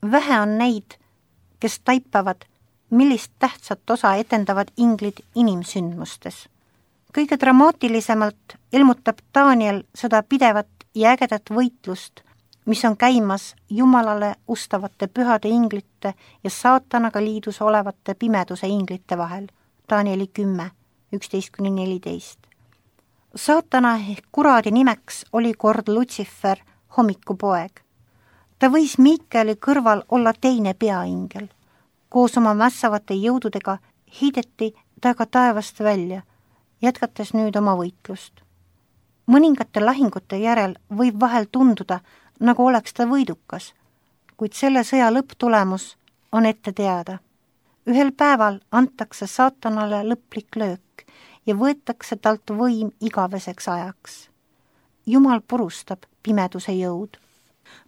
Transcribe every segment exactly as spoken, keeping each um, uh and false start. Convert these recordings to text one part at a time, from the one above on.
Vähe on neid, kes taipavad, millist tähtsat osa etendavad inglid inimsündmustes. Kõige dramaatilisemalt ilmutab Daniel seda pidevat ja ägedat võitlust, mis on käimas Jumalale ustavate pühade inglite ja saatanaga liidus olevate pimeduse inglite vahel. Danieli kümme, üksteist kuni neliteist. Saatana ehk kuradi nimeks oli kord Lutsifer, hommikupoeg. Ta võis Miikeli kõrval olla teine peaingel. Koos oma mässavate jõududega heideti ta ka taevast välja, jätkates nüüd oma võitlust. Mõningate lahingute järel võib vahel tunduda, nagu oleks ta võidukas, kuid selle sõja lõpptulemus on ette teada. Ühel päeval antakse saatanale lõplik löök ja võetakse talt võim igaveseks ajaks. Jumal purustab pimeduse jõud.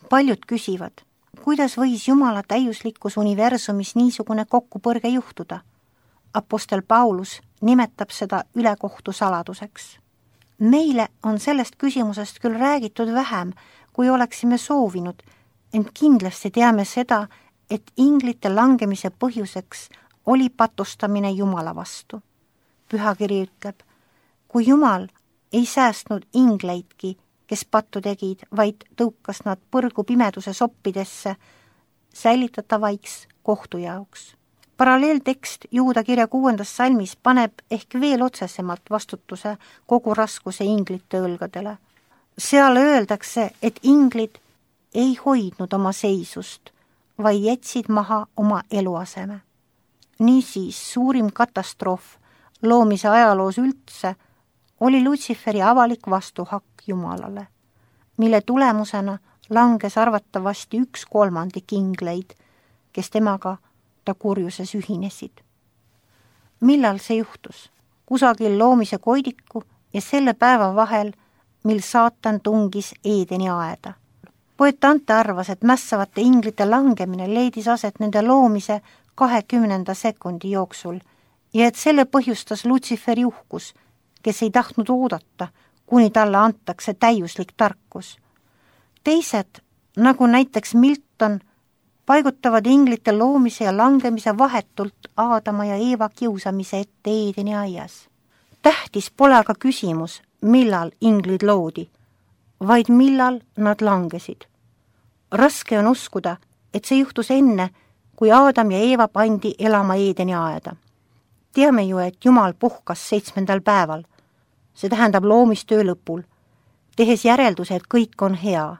Paljud küsivad, kuidas võis Jumala täiuslikkus universumis niisugune kokkupõrge juhtuda? Apostel Paulus nimetab seda ülekohtu saladuseks. Meile on sellest küsimusest küll räägitud vähem, kui oleksime soovinud, ent kindlasti teame seda, et inglite langemise põhjuseks oli patustamine Jumala vastu. Pühakiri ütleb, kui Jumal ei säästnud ingleidki, kes pattu tegid, vaid tõukas nad põrgu pimeduse soppidesse, säilitatavaiks kohtu jaoks. Paralleeltekst Juuda kirja kuuendas salmis paneb ehk veel otsesemalt vastutuse kogu raskuse inglite õlgadele. Seal öeldakse, et inglid ei hoidnud oma seisust, vaid jätsid maha oma eluaseme. Niisiis suurim katastroof loomise ajaloos üldse oli Lutsiferi avalik vastuhakk Jumalale, mille tulemusena langes arvatavasti üks kolmandik ingleid, kes temaga ta kurjuses ühinesid. Millal see juhtus? Kusagil loomise koidiku ja selle päeva vahel, mil saatan tungis Eedeni aeda. Poet Ante arvas, et mässavate inglite langemine leidis aset nende loomise kahekümnenda sekundi jooksul ja et selle põhjustas Lutsiferi uhkus, kes ei tahtnud oodata, kuni talle antakse täiuslik tarkus. Teised, nagu näiteks Milton, paigutavad inglite loomise ja langemise vahetult Aadama ja Eeva kiusamise ette Eedeni aias. Tähtis pole aga küsimus, millal inglid loodi, vaid millal nad langesid. Raske on uskuda, et see juhtus enne, kui Aadam ja Eeva pandi elama Eedeni aeda. Teame ju, et Jumal puhkas seitsmendal päeval, see tähendab loomistöö lõpul, tehes järelduse, et kõik on hea.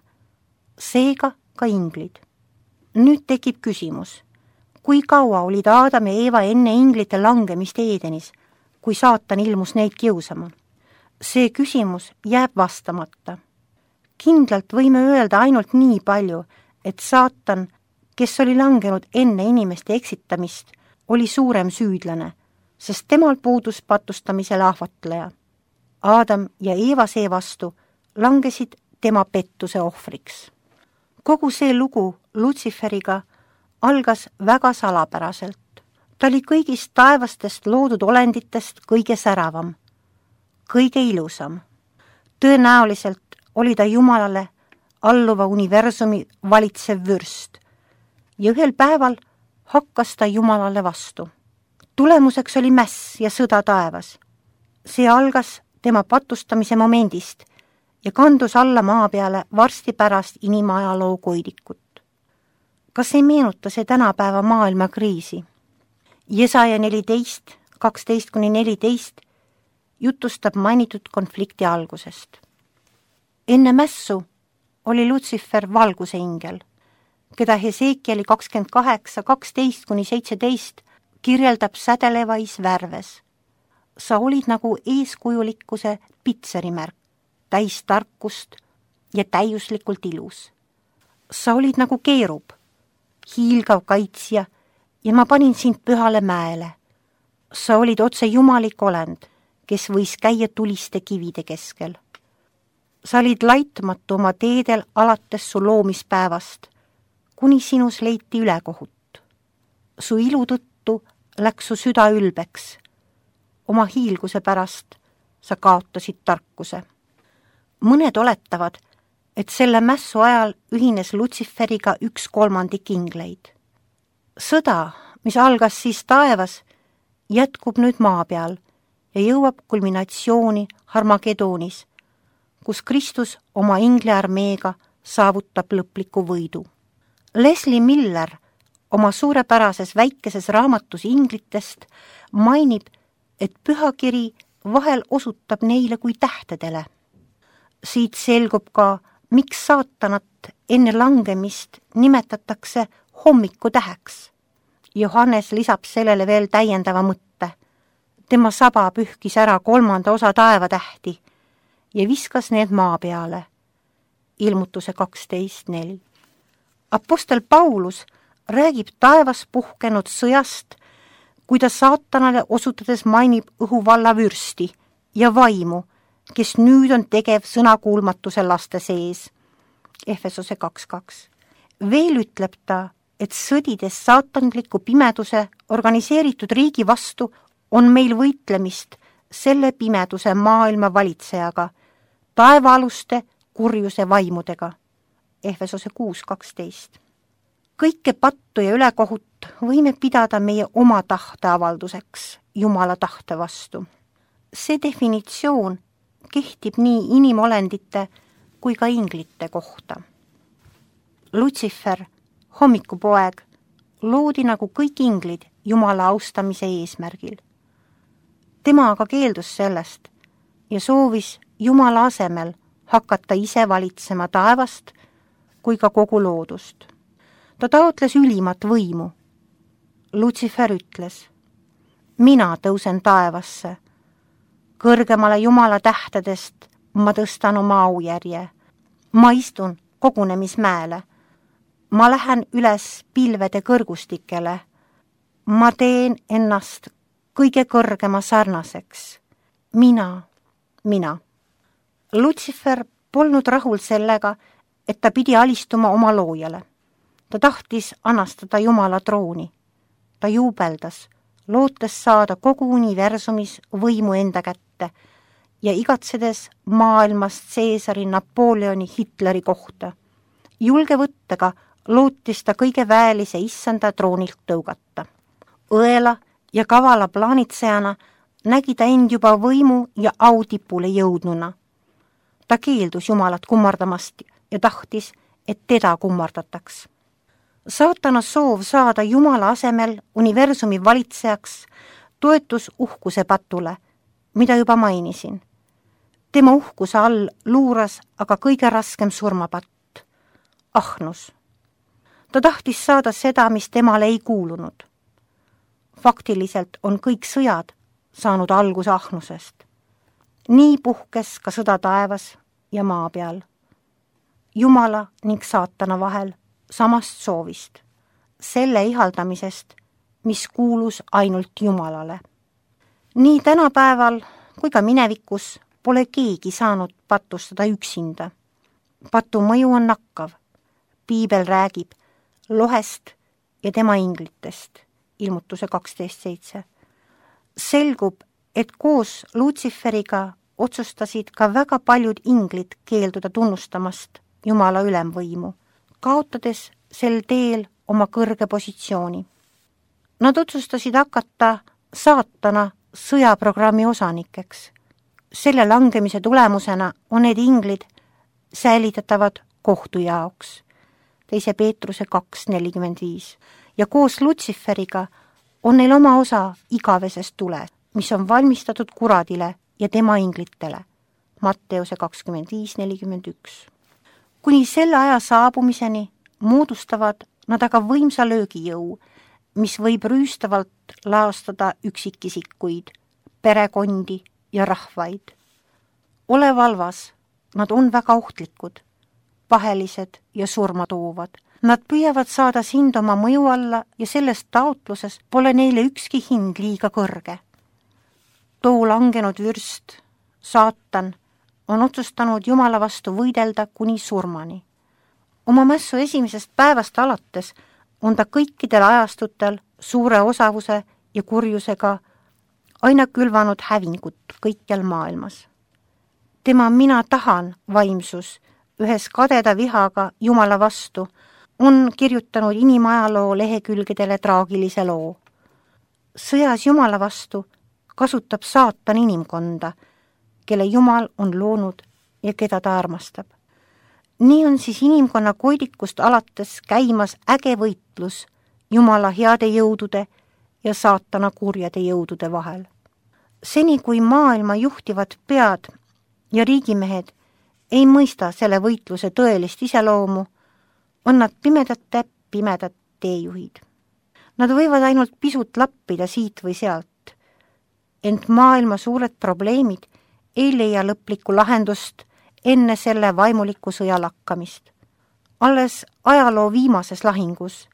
Seega ka inglid. Nüüd tekib küsimus, kui kaua olid Aadam ja Eeva enne inglite langemist Eedenis, kui saatan ilmus neid kiusama? See küsimus jääb vastamata. Kindlalt võime öelda ainult nii palju, et saatan, kes oli langenud enne inimeste eksitamist, oli suurem süüdlane, sest temal puudus patustamisele ahvatleja. Aadam ja Eeva seevastu langesid tema pettuse ohvriks. Kogu see lugu Lutsiferiga algas väga salapäraselt. Ta oli kõigist taevastest loodud olenditest kõige säravam, kõige ilusam. Tõenäoliselt oli ta Jumalale alluva universumi valitsev vürst ja ühel päeval hakkas ta Jumalale vastu. Tulemuseks oli mäss ja sõda taevas. See algas tema patustamise momendist ja kandus alla maa peale varsti pärast inimajaloo koidikut. Kas ei meenuta see tänapäeva maailma kriisi? Jesaja neliteist, kaksteist kuni neliteist jutustab mainitud konflikti algusest. Enne mässu oli Lutsifer valguse ingel, keda Hesekieli kakskümmend kaheksa, kaksteist kuni seitseteist kirjeldab sädelevais värves. Sa olid nagu eeskujulikkuse pitserimärk, täis tarkust ja täiuslikult ilus. Sa olid nagu keerub, hiilgav kaitsja ja ma panin sind pühale mäele. Sa olid otse jumalik olend, kes võis käia tuliste kivide keskel. Sa olid laitmatu oma teedel alates su loomispäevast, kuni sinus leiti ülekohut. Su ilu tõttu läks su süda ülbeks. Oma hiilguse pärast sa kaotasid tarkuse. Mõned oletavad, et selle mässu ajal ühines Lutsiferiga üks kolmandik ingleid. Sõda, mis algas siis taevas, jätkub nüüd maa peal ja jõuab kulminatsiooni Harmagedoonis, kus Kristus oma ingliarmeega saavutab lõpliku võidu. Leslie Miller oma suurepärases väikeses raamatus inglitest mainib, et pühakiri vahel osutab neile kui tähtedele. Siit selgub ka, miks saatanat enne langemist nimetatakse hommikutäheks. Johannes lisab sellele veel täiendava mõtte. Tema saba pühkis ära kolmanda osa taevatähti ja viskas need maa peale. Ilmutuse kaksteist neli. Apostel Paulus räägib taevas puhkenud sõjast, kui ta saatanale osutades mainib õhuvalla vürsti ja vaimu, kes nüüd on tegev sõnakuulmatuse laste sees. Efesose kaks kaks. Veel ütleb ta, et sõdides saatanliku pimeduse organiseeritud riigi vastu on meil võitlemist selle pimeduse maailma valitsejaga, taevaaluste kurjuse vaimudega. Efesose kuus kaksteist. Kõike pattu ja ülekohut võime pidada meie oma tahteavalduseks Jumala tahte vastu. See definitsioon kehtib nii inimolendite kui ka inglite kohta. Lutsifer, hommikupoeg, loodi nagu kõik inglid Jumala austamise eesmärgil. Tema aga keeldus sellest ja soovis Jumala asemel hakata ise valitsema taevast kui ka kogu loodust. Ta taotles ülimat võimu. Lutsifer ütles, mina tõusen taevasse. Kõrgemale Jumala tähtedest ma tõstan oma aujärje. Ma istun kogunemismäele. Ma lähen üles pilvede kõrgustikele. Ma teen ennast kõige kõrgema sarnaseks. Mina, mina. Lutsifer polnud rahul sellega, et ta pidi alistuma oma loojale. Ta tahtis anastada Jumala trooni. Ta juubeldas, lootes saada kogu universumis võimu enda kätte ja igatsedes maailmast Caesari, Napoleoni, Hitleri kohta. Julge võttega lootis ta kõige väelise issanda troonilt tõugata. Õela ja kavala plaanitsejana nägi ta end juba võimu ja autipule jõudnuna. Ta keeldus Jumalat kummardamast ja tahtis, et teda kummardataks. Saatana soov saada Jumala asemel universumi valitsejaks toetus uhkuse patule, mida juba mainisin. Tema uhkuse all luuras aga kõige raskem surmapatt, ahnus. Ta tahtis saada seda, mis temale ei kuulunud. Faktiliselt on kõik sõjad saanud alguse ahnusest. Nii puhkes ka sõda taevas ja maa peal. Jumala ning saatana vahel samast soovist, selle ihaldamisest, mis kuulus ainult Jumalale. Nii tänapäeval kui ka minevikus pole keegi saanud patustada üksinda. Patu mõju on nakkav. Piibel räägib lohest ja tema inglitest. Ilmutuse kaksteist seitse. Selgub, et koos Lutsiferiga otsustasid ka väga paljud inglid keelduda tunnustamast Jumala ülemvõimu, kaotades sel teel oma kõrge positsiooni. Nad otsustasid hakata saatana sõjaprogrammi osanikeks. Selle langemise tulemusena on need inglid säilitatavad kohtu jaoks. Teise Peetruse kaks nelikümmend viis. Ja koos Lutsiferiga on neil oma osa igavesest tule, mis on valmistatud kuradile ja tema inglitele. Matteuse kakskümmend viis nelikümmend üks. Kuni selle aja saabumiseni moodustavad nad aga võimsa löögijõu, mis võib rüüstavalt laastada üksikisikuid, perekondi ja rahvaid. Ole valvas, nad on väga ohtlikud, pahelised ja surmatoovad. Nad püüavad saada sind oma mõju alla ja sellest taotluses pole neile ükski hind liiga kõrge. Too langenud vürst, saatan, on otsustanud Jumala vastu võidelda kuni surmani. Oma mässu esimesest päevast alates on ta kõikidel ajastutel suure osavuse ja kurjusega aina külvanud hävingut kõikjal maailmas. Tema mina tahan vaimsus ühes kadeda vihaga Jumala vastu, on kirjutanud inimajaloo lehekülgedele traagilise loo. Sõjas Jumala vastu kasutab saatan inimkonda, kelle Jumal on loonud ja keda ta armastab. Nii on siis inimkonna koidikust alates käimas äge võitlus Jumala heade jõudude ja saatana kurjade jõudude vahel. Seni, kui maailma juhtivad pead ja riigimehed ei mõista selle võitluse tõelist iseloomu, on nad pimedate pimedad teejuhid. Nad võivad ainult pisut lappida siit või sealt, ent maailma suured probleemid ei leia lõplikku lahendust enne selle vaimuliku sõja lakkamist. Alles ajaloo viimases lahingus,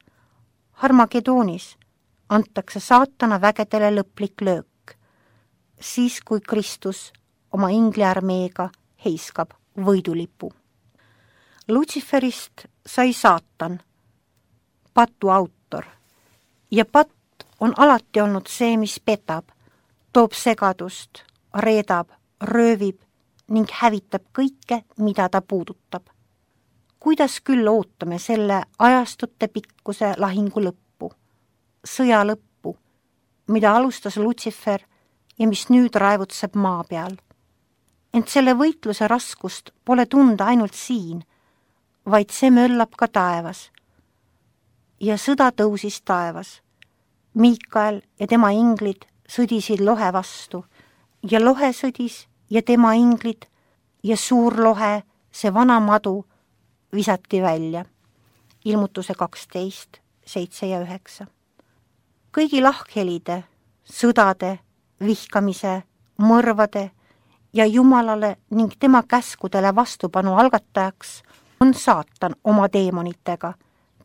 Harmagedoonis, antakse saatana vägedele lõplik löök, siis kui Kristus oma ingliarmeega heiskab võidulipu. Lutsiferist sai saatan, patu autor, ja patt on alati olnud see, mis petab, toob segadust, reedab, röövib ning hävitab kõike, mida ta puudutab. Kuidas küll ootame selle ajastute pikkuse lahingu lõppu, sõja lõppu, mida alustas Lutsifer ja mis nüüd raevutseb maa peal. Ent selle võitluse raskust pole tunda ainult siin, vaid see möllab ka taevas. Ja sõda tõusis taevas. Miikael ja tema inglid sõdisid lohe vastu ja lohe sõdis ja tema inglid ja suur lohe, see vana madu, visati välja. Ilmutuse kaksteist, seitse ja üheksa. Kõigi lahkhelide, sõdade, vihkamise, mõrvade ja Jumalale ning tema käskudele vastupanu algatajaks on saatan oma deemonitega,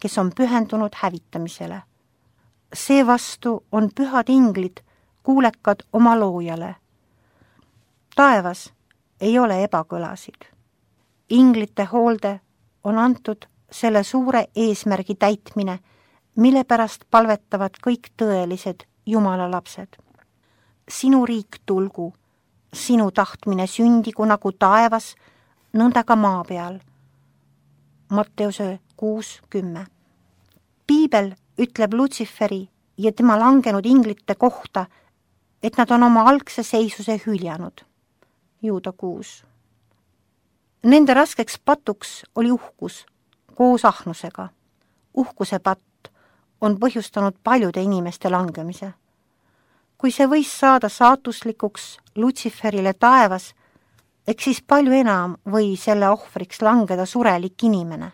kes on pühendunud hävitamisele. Seevastu on pühad inglid kuulekad oma loojale. Taevas ei ole ebakõlasid. Inglite hoolde on antud selle suure eesmärgi täitmine, mille pärast palvetavad kõik tõelised Jumala lapsed. Sinu riik tulgu, sinu tahtmine sündigu nagu taevas, nõnda ka maa peal. Matteuse kuus kümme. Piibel ütleb Lutsiferi ja tema langenud inglite kohta, et nad on oma algse seisuse hüljanud. Juuda kuus. Nende raskeks patuks oli uhkus koos ahnusega. Uhkuse patt on põhjustanud paljude inimeste langemise. Kui see võis saada saatuslikuks Lutsiferile taevas, eks siis palju enam või selle ohvriks langeda surelik inimene.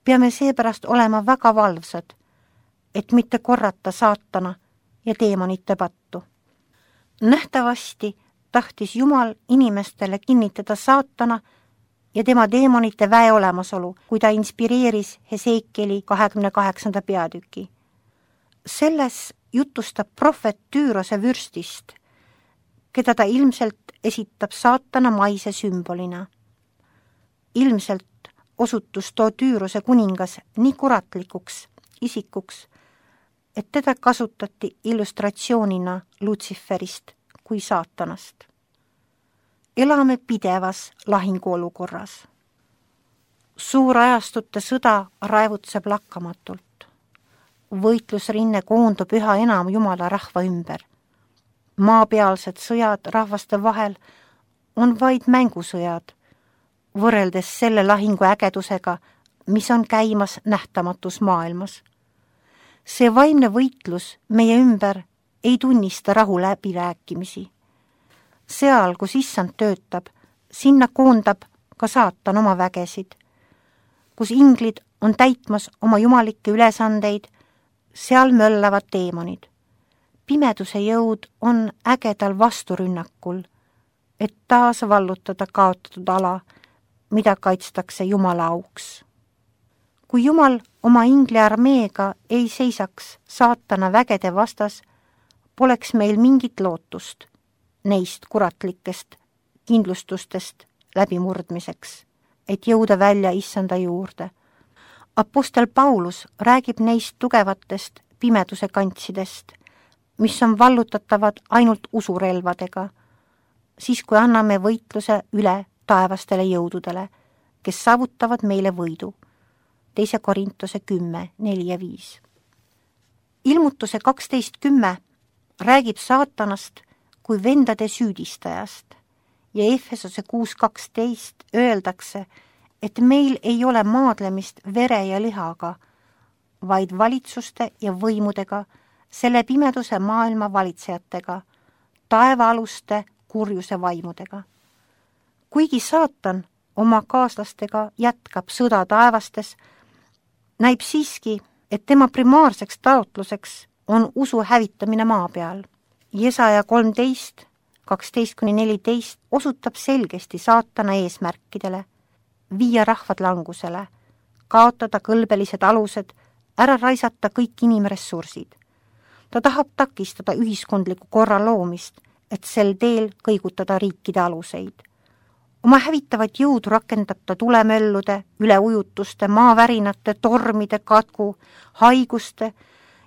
Peame seepärast olema väga valvsad, et mitte korrata saatana ja teemonite pattu. Nähtavasti tahtis Jumal inimestele kinnitada saatana ja tema teemonite väe olemasolu, kui ta inspireeris Hesekieli kahekümne kaheksanda peatüki. Selles jutustab prohvet Tüürose vürstist, keda ta ilmselt esitab saatana maise sümbolina. Ilmselt osutus too Tüürose kuningas nii kuratlikuks isikuks, et teda kasutati illustratsioonina Lutsiferist kui saatanast. Elame pidevas lahinguolukorras. Suur ajastute sõda raevutseb lakkamatult. Võitlusrinne koondub üha enam Jumala rahva ümber. Maapealsed sõjad rahvaste vahel on vaid mängusõjad, võrreldes selle lahingu ägedusega, mis on käimas nähtamatus maailmas. See vaimne võitlus meie ümber ei tunnista rahu läbirääkimisi. Seal, kus issand töötab, sinna koondab ka saatan oma vägesid. Kus inglid on täitmas oma jumalikke ülesandeid, seal möllavad teemonid. Pimeduse jõud on ägedal vasturünnakul, et taas vallutada kaotatud ala, mida kaitstakse Jumala auks. Kui Jumal oma ingli armeega ei seisaks saatana vägede vastas, poleks meil mingit lootust neist kuratlikest kindlustustest läbimurdmiseks, et jõuda välja issanda juurde. Apostel Paulus räägib neist tugevatest pimeduse kantsidest, mis on vallutatavad ainult usurelvadega, siis kui anname võitluse üle taevastele jõududele, kes saavutavad meile võidu. teise Korintuse kümme, neli ja viis. Ilmutuse kaksteist kümme räägib saatanast kui vendade süüdistajast ja Efesose kuus kaksteist öeldakse, et meil ei ole maadlemist vere ja lihaga, vaid valitsuste ja võimudega, selle pimeduse maailma valitsejatega, taevaaluste kurjuse vaimudega. Kuigi saatan oma kaaslastega jätkab sõda taevastes, näib siiski, et tema primaarseks taotluseks on usu hävitamine maa peal. Jesaja kolmteist, kaksteist kuni neliteist osutab selgesti saatana eesmärkidele, viia rahvad langusele, kaotada kõlbelised alused, ära raisata kõik inimressursid. Ta tahab takistada ühiskondliku korra loomist, et sel teel kõigutada riikide aluseid. Oma hävitavat jõudu rakendab ta tulemöllude, üleujutuste, maavärinate, tormide, katku, haiguste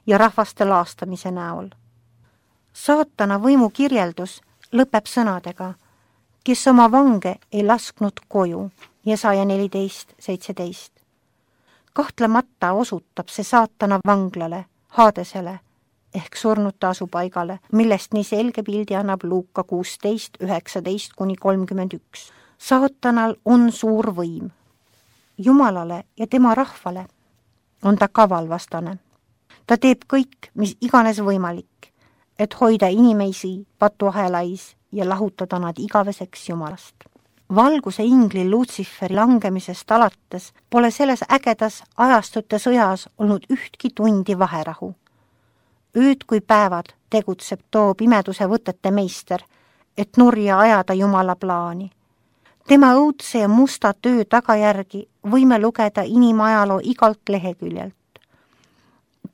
ja rahvaste laastamise näol. Saatana võimu kirjeldus lõpeb sõnadega, kes oma vange ei lasknud koju, Jesaja neliteist, seitseteist. Kahtlemata osutab see saatana vanglale, Haadesele ehk surnute asupaigale, millest nii selge pildi annab Luuka kuusteist, üheksateist kuni kolmkümmend üks. Saatanal on suur võim. Jumalale ja tema rahvale on ta kavalvastane. Ta teeb kõik, mis iganes võimalik, et hoida inimesi patuahelais ja lahutada nad igaveseks Jumalast. Valguse ingli Lutsiferi langemisest alates pole selles ägedas ajastute sõjas olnud ühtki tundi vaherahu. Ööd kui päevad tegutseb too pimeduse võtete meister, et nurja ajada Jumala plaani. Tema õudse ja musta töö tagajärgi võime lugeda inimajaloo igalt leheküljelt.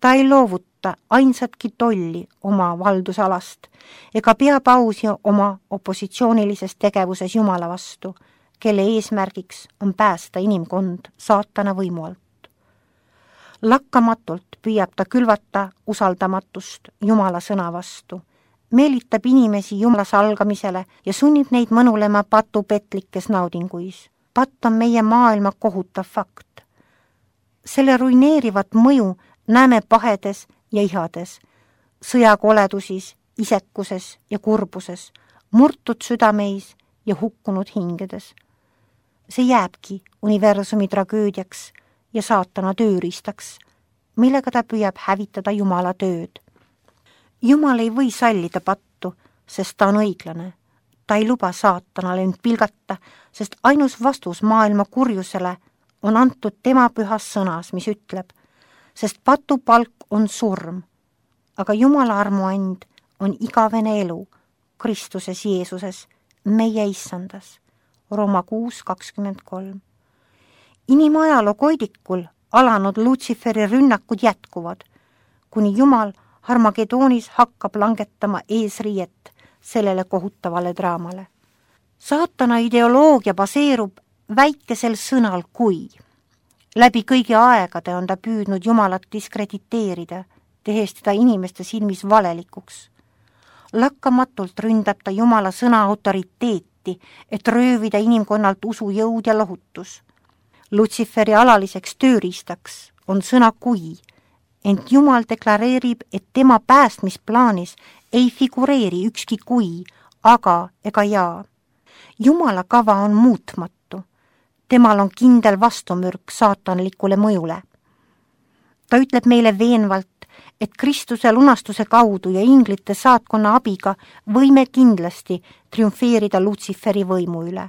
Ta ei loovuta ainsatki tolli oma valdusalast ega pea pausi oma opositsioonilises tegevuses Jumala vastu, kelle eesmärgiks on päästa inimkond saatana võimu alt. Lakkamatult püüab ta külvata usaldamatust Jumala sõna vastu, meelitab inimesi Jumala salgamisele ja sunnib neid mõnulema patu petlikes naudinguis. Patt on meie maailma kohutav fakt. Selle ruineerivat mõju näeme pahedes ja ihades, sõjakoledusis, isekuses ja kurbuses, murtud südameis ja hukkunud hingedes. See jääbki universumi tragöödiaks ja saatana tööriistaks, millega ta püüab hävitada Jumala tööd. Jumal ei või sallida pattu, sest ta on õiglane. Ta ei luba saatanale end pilgata, sest ainus vastus maailma kurjusele on antud tema pühas sõnas, mis ütleb, sest patu palk on surm, aga Jumala armuand on igavene elu Kristuses Jeesuses, meie issandas. Rooma kuus kakskümmend kolm. Inimajaloo koidikul alanud Lutsiferi rünnakud jätkuvad, kuni Jumal Harmagedoonis hakkab langetama eesriiet sellele kohutavale draamale. Saatana ideoloogia baseerub väikesel sõnal kui. Läbi kõigi aegade on ta püüdnud Jumalat diskrediteerida, tehes teda inimeste silmis valelikuks. Lakkamatult ründab ta Jumala sõna autoriteeti, et röövida inimkonnalt usujõud ja lohutus. Lutsiferi alaliseks tööriistaks on sõna kui, ent Jumal deklareerib, et tema päästmisplaanis ei figureeri ükski kui, aga ega jaa. Jumala kava on muutmatu. Temal on kindel vastumürk saatanlikule mõjule. Ta ütleb meile veenvalt, et Kristuse lunastuse kaudu ja inglite saatkonna abiga võime kindlasti triumfeerida Lutsiferi võimu üle.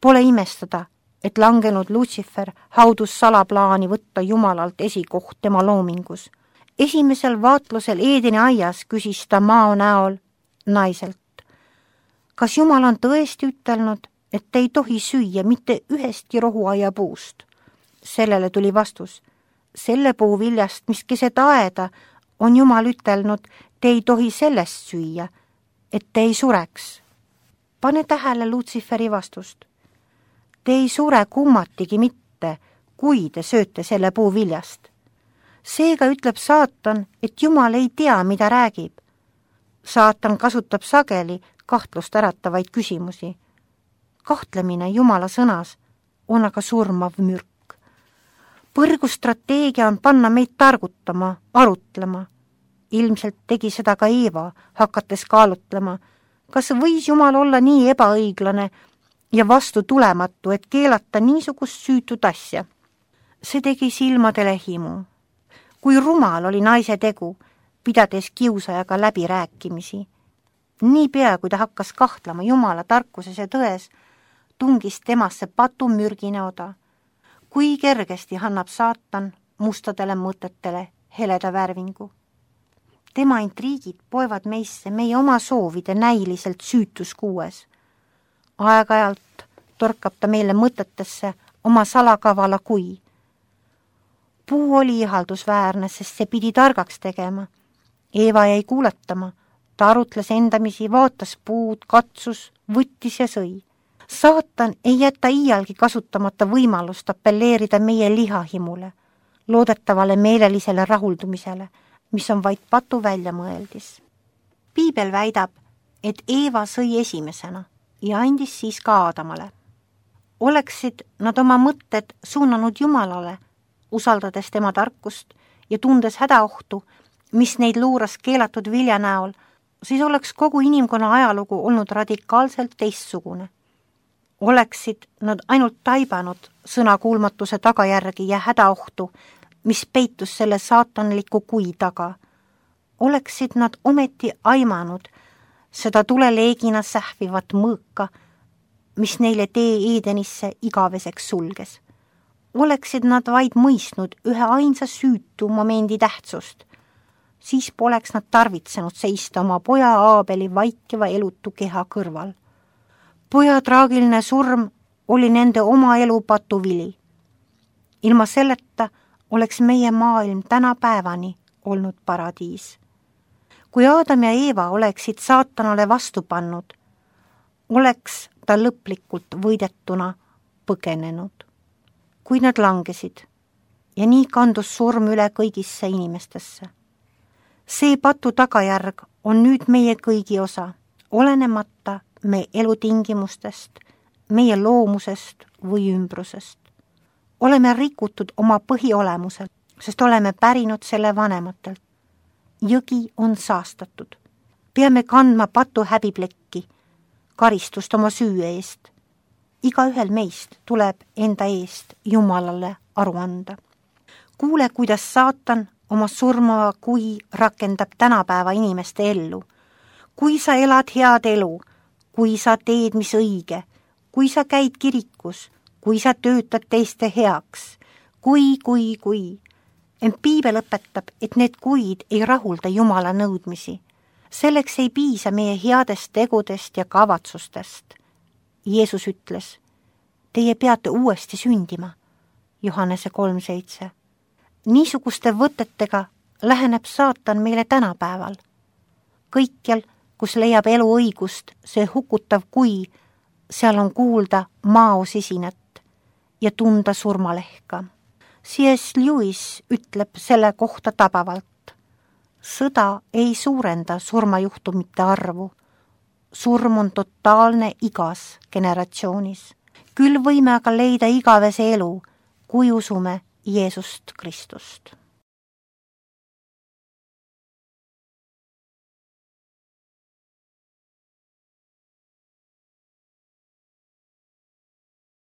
Pole imestada, et langenud Lutsifer haudus salaplaani võtta Jumalalt esikoht tema loomingus. Esimesel vaatlusel Eedeni aias küsis ta mao näol naiselt. Kas Jumal on tõesti ütelnud, et ei tohi süüa mitte ühestki rohuaia puust? Sellele tuli vastus. Selle puu viljast, mis keset aeda, on Jumal ütelnud, te ei tohi sellest süüa, et te ei sureks. Pane tähele Lutsiferi vastust. Te ei sure kummatigi mitte, kui te sööte selle puu viljast. Seega ütleb saatan, et Jumal ei tea, mida räägib. Saatan kasutab sageli kahtlust äratavaid küsimusi. Kahtlemine Jumala sõnas on aga surmav mürk. Põrgustrateegia on panna meid targutama, arutlema. Ilmselt tegi seda ka Eeva, hakates kaalutlema, kas võis Jumal olla nii ebaõiglane ja vastu tulematu, et keelata niisugust süütut asja. See tegi silmadele himu. Kui rumal oli naise tegu, pidades kiusajaga läbirääkimisi. Niipea, kui ta hakkas kahtlema Jumala tarkuses ja tões, tungis temasse patumürgine oda. Kui kergesti annab saatan mustadele mõtetele heleda värvingu. Tema intriigid poevad meisse meie oma soovide näiliselt süütuskuues. Aeg-ajalt torkab ta meile mõtetesse oma salakavala kui. Puu oli ihaldusväärne, sest see pidi targaks tegema. Eeva jäi kuuletama, ta arutles endamisi, vaatas puud, katsus, võttis ja sõi. Saatan ei jäta iialgi kasutamata võimalust appelleerida meie lihahimule, loodetavale meelelisele rahuldumisele, mis on vaid patu väljamõeldis. Piibel väidab, et Eeva sõi esimesena ja andis siis ka Aadamale. Oleksid nad oma mõtted suunanud Jumalale, usaldades tema tarkust ja tundes hädaohtu, mis neid luuras keelatud vilja näol, siis oleks kogu inimkonna ajalugu olnud radikaalselt teistsugune. Oleksid nad ainult taibanud sõnakuulmatuse tagajärgi ja hädaohtu, mis peitus selle saatanliku kui taga. Oleksid nad ometi aimanud seda tuleleegina sähvivat mõõka, mis neile tee Eedenisse igaveseks sulges. Oleksid nad vaid mõistnud ühe ainsa süütu momendi tähtsust, siis poleks nad tarvitsenud seista oma poja Aabeli vaikiva elutu keha kõrval. Poja traagiline surm oli nende oma elu patuvili. Ilma selleta oleks meie maailm tänapäevani olnud paradiis. Kui Aadam ja Eeva oleksid saatanale vastu pannud, oleks ta lõplikult võidetuna põgenenud. Kui nad langesid ja nii kandus surm üle kõigisse inimestesse. See patu tagajärg on nüüd meie kõigi osa, olenemata meie elutingimustest, meie loomusest või ümbrusest. Oleme rikutud oma põhiolemusel, sest oleme pärinud selle vanematelt. Jõgi on saastatud. Peame kandma patu häbiplekki, karistust oma süü eest. Igaühel meist tuleb enda eest Jumalale aru anda. Kuule, kuidas saatan oma surmava kui rakendab tänapäeva inimeste ellu. Kui sa elad head elu, kui sa teed, mis õige, kui sa käid kirikus, kui sa töötad teiste heaks, kui, kui, kui. Ent Piibel õpetab, et need kuid ei rahulda Jumala nõudmisi. Selleks ei piisa meie headest tegudest ja kavatsustest. Jeesus ütles, teie peate uuesti sündima, Johannese kolm seitse. Niisuguste võtetega läheneb saatan meile tänapäeval. Kõikjal, kus leiab elu õigust, see hukutav kui, seal on kuulda maosisinat ja tunda surmalehka. C S Lewis ütleb selle kohta tabavalt. Sõda ei suurenda surmajuhtumite arvu. Surm on totaalne igas generatsioonis. Küll võime aga leida igavese elu, kui usume Jeesust Kristust.